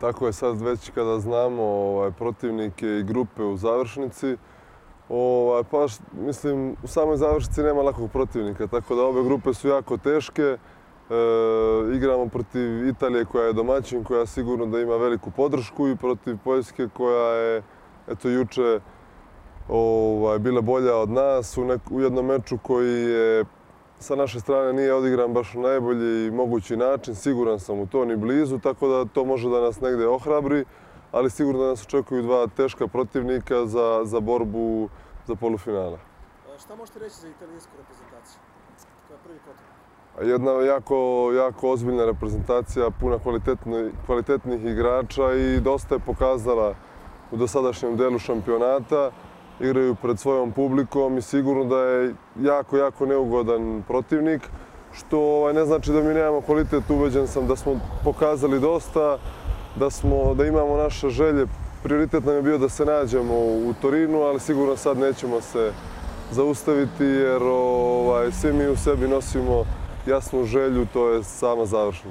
Tako je sad već kada znamo protivnike i grupe u završnici. Pa mislim, u samoj završnici nema lakog protivnika, tako da ove grupe su jako teške. Igramo protiv Italije koja je domaćin, koja sigurno da ima veliku podršku, i protiv Poljske koja je juče bila bolja od nas u jednom meču koji je sa naše strane nije odigran baš na najbolji mogući način. Siguran sam u to, ni blizu, tako da to može da nas negde ohrabri, ali sigurno da nas očekuju dva teška protivnika za borbu za polufinale. Šta možete reći za italijansku reprezentaciju? Koja je prvi protivnik? Jedna jako ozbiljna reprezentacija, puna kvalitetnih igrača i dosta je pokazala u dosadašnjem delu šampionata. Igraju pred svojom publikom i sigurno da je jako neugodan protivnik, što ne znači da mi nemamo kvalitet. Ubeđen sam da smo pokazali dosta, da imamo naše želje. Prioritet nam je bio da se nađemo u Torinu, ali sigurno sad nećemo se zaustaviti jer svi mi u sebi nosimo jasnu želju, to je sama završnica.